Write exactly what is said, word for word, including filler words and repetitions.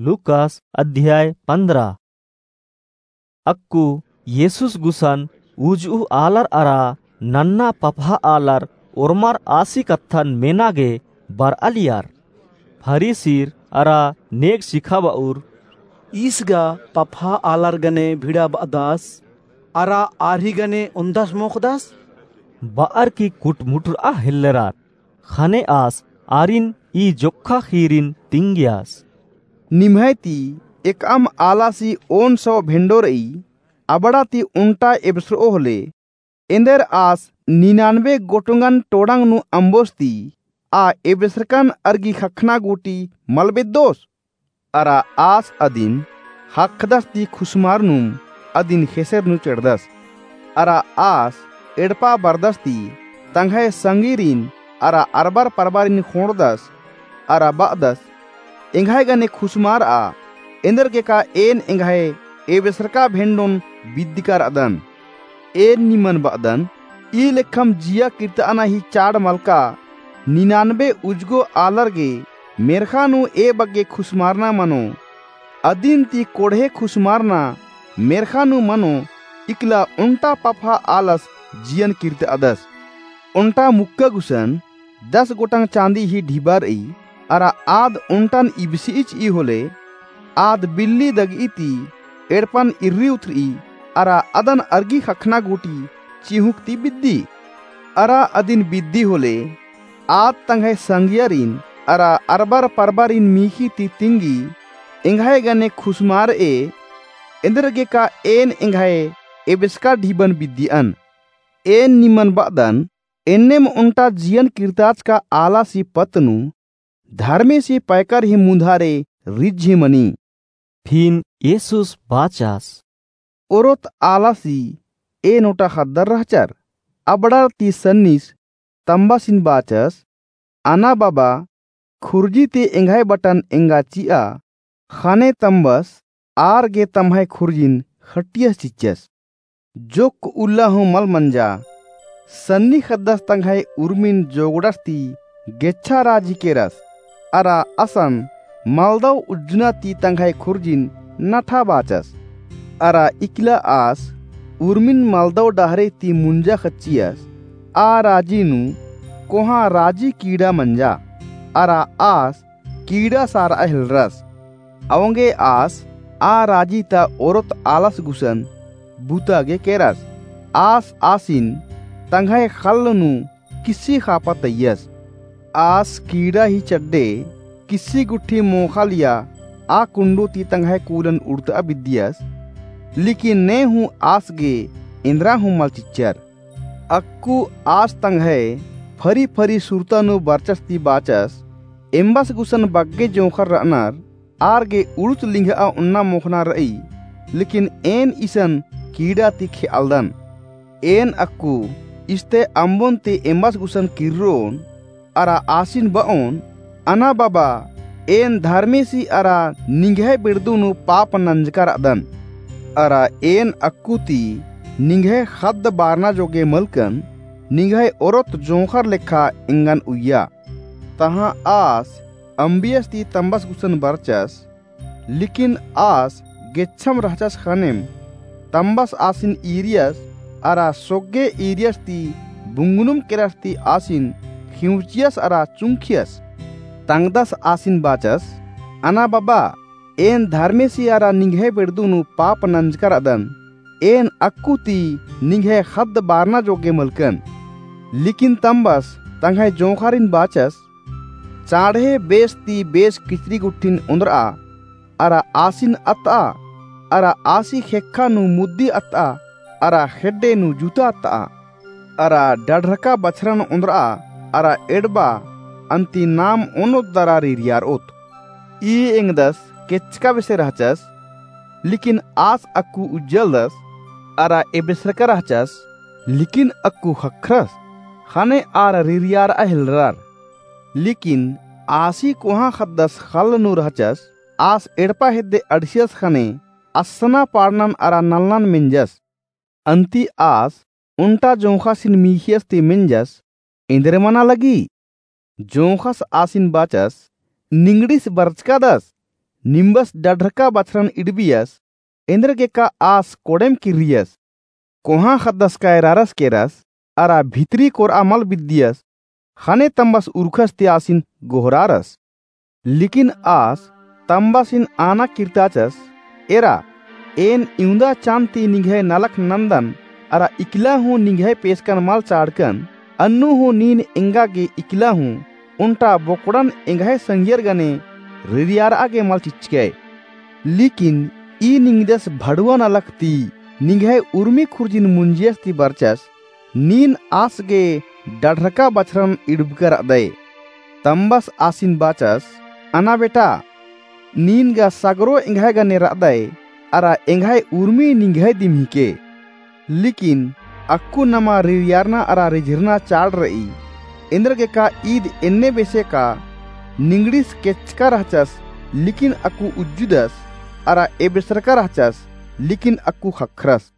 लूकास अध्याय पन्द्रह। अक्कु येसुस गुसन उजुह आलर अरा नन्ना पपहा आलर ओर्मर आसी कत्थन मेना गे बरआलियर। फरीसीर अरा नेग सिखाबउर, ईस गा पपहा आलर गने भिड़ा बअदस अरा आरी गने ओन्दस मोख़दस? बअर की कुटमुटरआ हेल्लरर। ख़ने आस आरिन ई जोक्खा ख़ीरिन तिंगियस। निम्है ती एकअम आलासी ओन सौ भेंड़ो रई, अबड़ा ती ओन्टा एबसरओ होले, एन्देर आस निनानबे गोटंगन टोड़ंग नू अम्बोस ती आ एबसरकन अरगी ख़क्खना गूटी मल बेद्दोस? अरा आस अदिन ख़क्खदस ती खुसमारनुम अदिन ख़ेसेर नू चेड़दस। अरा आस एड़पा बरदस ती तंग्है संगीरिन अरा अरबर परबारिन ख़ोंड़दस अरा बअदस, एंग्है गने खुसमारआ, एन्देरगेका एन एंग्है एबसरका भेंड़ोन बिद्दिका रअदन। एन निमन बअदन, ई लेखम जिया किर्तअना ही चाड़ मलका निनानबे उजगो आलर गे मेर्ख़ा नू ए बग्गे खुसमारना मनो। अदिन ती कोड़हे खुसमारना मेर्ख़ा नू मनो, इकला ओन्टा पपहा आलस जियन किर्तअदस। ओन्टा मुक्का गुसन दस गोटंग चाँदी ही ढिबा रई, अरा आद ओन्टन इबसिइचई होले, आद बिल्ली दगई ती एड़पन इर्री उतरई, अरा अदन अरगी ख़क्खना गूटी चिहुँक ती बिद्दी। अरा अदिन बिद्दी होले, आद तंग्है संगियारिन अरा अरबर परबारिन मीख़ी ती तिंगी, एंग्है गने खुसमारए, एन्देरगेका एन एंग्है एबसका ढिबन बिद्दियन। एन निमन बअदन, एन्नेम ओन्टा जियन किर्ताचका आलासी पत्त नू धर्मेसी पैकर ही मुन्धारे रिझी मनी। फिन येसुस बाचस, ओरोत आलासी एन ओटा ख़द्दर रहचर। अबड़र ती सन्निस तम्बसिन बाचस, अना बाबा, खुर्जी ती एंग्है बटन एंगा चिआ। ख़ने तम्बस आर गे तम्है खुर्जिन ख़ट्टियस चिच्चस। जोक्क उल्ला हूँ मल मंजा। सन्नी ख़द्दस तंग्है उर्मिन जोगड़स ती गेच्छा राजी केरस। अरा असन मलदव उज्जना ती तंग्है खुर्जिन नठा बाचस। अरा इकला आस उर्मिन मलदव डहरे ती मुंजा ख़च्चियस। आ राजी नू कोहाँ राजी कीड़ा मंजा। अरा आस कीड़ा सारआ हेलरस। औंगे आस आ राजी ता ओरोत आलस गुसन बुता गे केरस। आस आसिन तंग्है ख़ल्ल नू किस्सी ख़ापा तइयस। आस कीड़ा ही चड्डे किस्सी गुट्ठी मोख़ालिया आ कुंडो ती तंग्है कूलन उड़तआ बिद्दियस। लेकिन ने हूँ आस गे एन्दरा हूँ मल चिच्चर। अक्कु आस तंग्है फरी फरी सुरता नू बरचस ती बाचस, एम्बस गुसन बग्गे जोंख़र रअनर, आर गे उड़ुत लिंघआ ओन्ना मोख़ना रई, लेकिन एन इसन कीड़ा ती खेअलदन। एन अक्कु इस्ते अम्बोन ती एम्बस गुसन किर्रोन, अरा आसिन बओन, अना बाबा, एन धर्मेसी अरा निंग्है बेड़दू नू पाप नंजका रअदन। अरा एन अक्कु ती निंग्है ख़द्द बारना जोगे मलकन, निंग्है ओरोत जोंख़र लेखा एंगन उइया। तहाँ आस अम्बियस ती तम्बस गुसन बरचस, लेकिन आस गेच्छम रहचस ख़नेम तम्बस आसिन ईरियस, अरा सोग्गे ईरियस ती बुंगनुम केरस ती आसिन खिउँचियस अरा चुंखियस। तंगदस आसिन बाचस, अना बाबा, एन धर्मेसी अरा निंग्है बेड़दू नू पाप नंजका रअदन। एन अक्कु ती निंग्है ख़द्द बारना जोगे मलकन। लेकिन तम्बस तंग्है जोंख़ारिन बाचस, चाँड़हे बेस ती बेस किचरी गुट्ठिन ओन्द्रआ, अरा आसिन अत्तआ, अरा आसी ख़ेक्खा नू मुद्दी अत्तआ, अरा ख़ेड्डे नू जूता अत्तआ, अरा डढ़रका बछरन ओन्द्रआ, अरा एड़बा अन्ती नाम ओनोत दरा रिरियारओत। ई एंगदस केचका बेसे रहचस, लेकिन आस अक्कु उज्जलदस, अरा एबेसरका रहचस, लेकिन अक्कु ख़क्खरस, ख़ने आर रिरियारआ हेलरर। लेकिन आसी कोहाँ ख़द्दस ख़ल्ल नू रहचस, आस एड़पा हेद्दे अंड़सियस ख़ने असना पाड़नन अरा नलनन मेंजस। अन्ती आस ओन्टा जोंख़ासिन मीख़ियस ती मेंजस, एन्देर मना लगी? जोंख़स आसिन बाचस, निंगड़िस बरचकादस, निम्बस डढ़रका बछरन इड़बियस, एन्देरगेका आस कोड़ेम किर्रियस। कोहाँ ख़द्दस कायरारस केरस, अरा भितरी कोरआ मल बिद्दियस, ख़ने तम्बस उरुखस ती आसिन गोहरारस। लिकिन आस तम्बसिन आना किर्ताचस, एरा, एन इवंदा चान ती निंग्है नलख नन्दन, अरा इकला हूँ निंग्है पेसकन मल चाड़कन, अन्नु हूँ नीन एंगा गे इकला हूँ, ओन्टा बोकड़न एंग्है संगियर गने रिरियारआ गे मल चिच्चकय। लिकिन ई निंग्दस भड़ुआ नलख ती निंग्है उर्मी खुर्जिन मुंजियस ती बरचस, नीन आस गे डढ़रका बछरन इड़बकर रअदय। तम्बस आसिन बाचस, अना बेटा, नीन गा सगरो एंग्है गने रअदय, अरा एंग्है उर्मी निंग्है दिम हिके। लिकिन अक्कु नमा रिरियारना अरा रिझिरना चाड़ रई। एन्देरगेका ईद एन्ने बेसे का निंगड़िस केचका रहचस, लिकिन अक्कु उज्जुदस, अरा एबेसरका रहचस, लिकिन अक्कु ख़क्खरस।